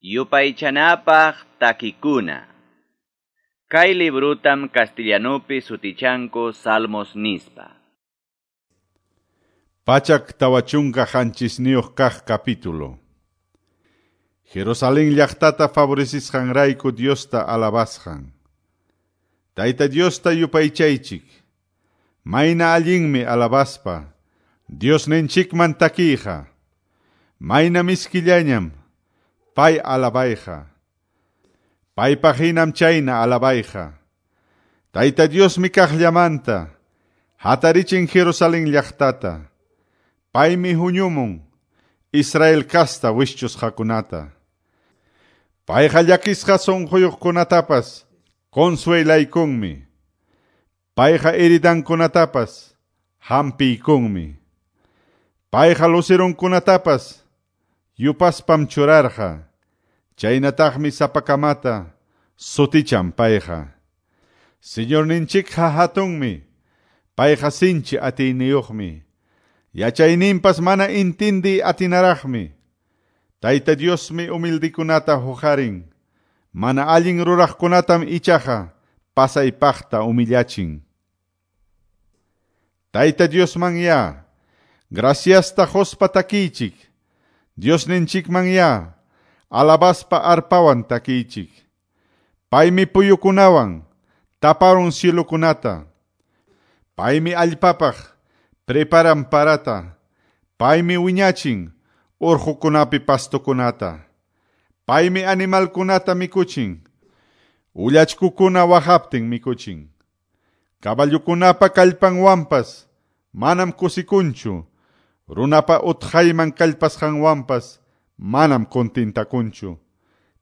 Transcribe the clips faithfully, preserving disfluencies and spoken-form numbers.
Yupaychanapaq takikuna. Kay librutam castellanupi sutichanku Salmos nispa. Pachak tawachunka qanchisniyuq kaq capítulo. Jerusalén llaqtata favorecisqanrayku Diosta alabasqan. Tayta Diosta yupaychaychik. Mayna allinmi alabaspa. Diosninchikman takiyqa. Mayna miskillañam pay alabayqa. Paypaq hinam chayna alabayqa. Tayta Diosmi kaqllamanta hatarichin Jerusalén llaqtata. Paymi huñumun Israel kasta wischusqakunata. Payqa llakisqa sunquyuqkunatapas consuelaykunmi. Payqa heridankunatapas hampiykunmi. Payqa lucerunkunatapas yupaspam churarqa. Chaynataqmi sapakamata sutichan payqa. Señorninchikqa hatunmi, payqa sinchi atiyniyuqmi. Yachayninpas mana intindi atinaraqmi. Tayta Diosmi humildikunata huqarin. Mana allin ruraqkunatam ichaqa pasaypaqta humillachin. Tayta Diosman ya, graciasta quspa takiychik. Diosninchikman ya, alabaspa arpawan takiychik. Paymi puyukunawan taparun cielukunata. Paymi allpapaq preparan parata. Paymi wiñachin urqukunapi pastukunata. Paymi animalkunata mikuchin. Ullachkukuna waqaptin mikuchin. Caballukunapa kallpanwanpas manam kusikunchu. Runapa utqayman kallpasqanwanpas manam kontintakunchu.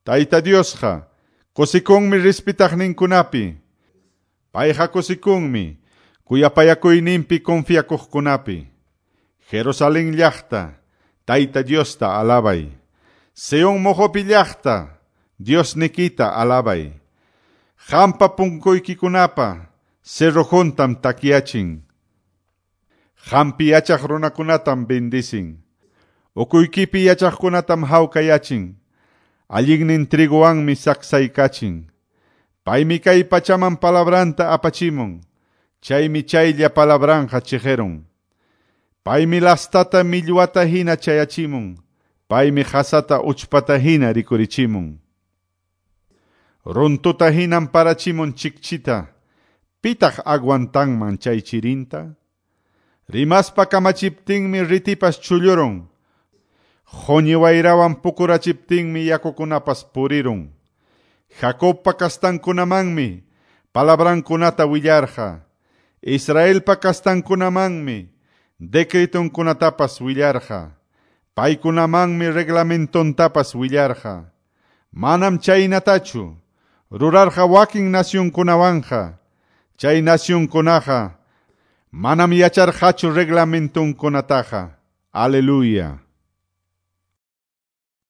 Tayta Diosqa kusikunmi respetaqninkunapi. Payqa kusikunmi kuyapayakuyninpi confiakuqkunapi. Jerusalén llaqta, Tayta Diosta alabay. Sion moqopi llaqta, Diosnikita alabay. Hampa punkuykikunapa cerrojuntam takyachin. Hampi yachaq runakunatam bendicin. Ukuykipi yachaqkunatam hawkayachin. Allinnin triguwanmi saksaykachin. Paymi kay pachaman palabranta apachimun. Chaymi chaylla palabranja chiqirun. Paymi lastata millwata hina chayachimun. Paymi qasata uchpata hina rikurichimun. Runtuta hinam parachimun chikchita. Pitaq aguantanman chay chirinta? Rimaspa kamachiptinmi ritipas chullurun. Qhuñi wayrawan pukurachiptinmi yakukunapas purirun. Jacobpa kastankunamanmi palabrankunata willarqa. Israelpa kastankunamanmi decretonkunatapas willarqa. Paykunamanmi reglamentontapas willarqa. Manam chaynatachu rurarqa wakin nacionkunawanja. Chay nacionkunaqa manam yacharqachu reglamentonkunataqa. Aleluya.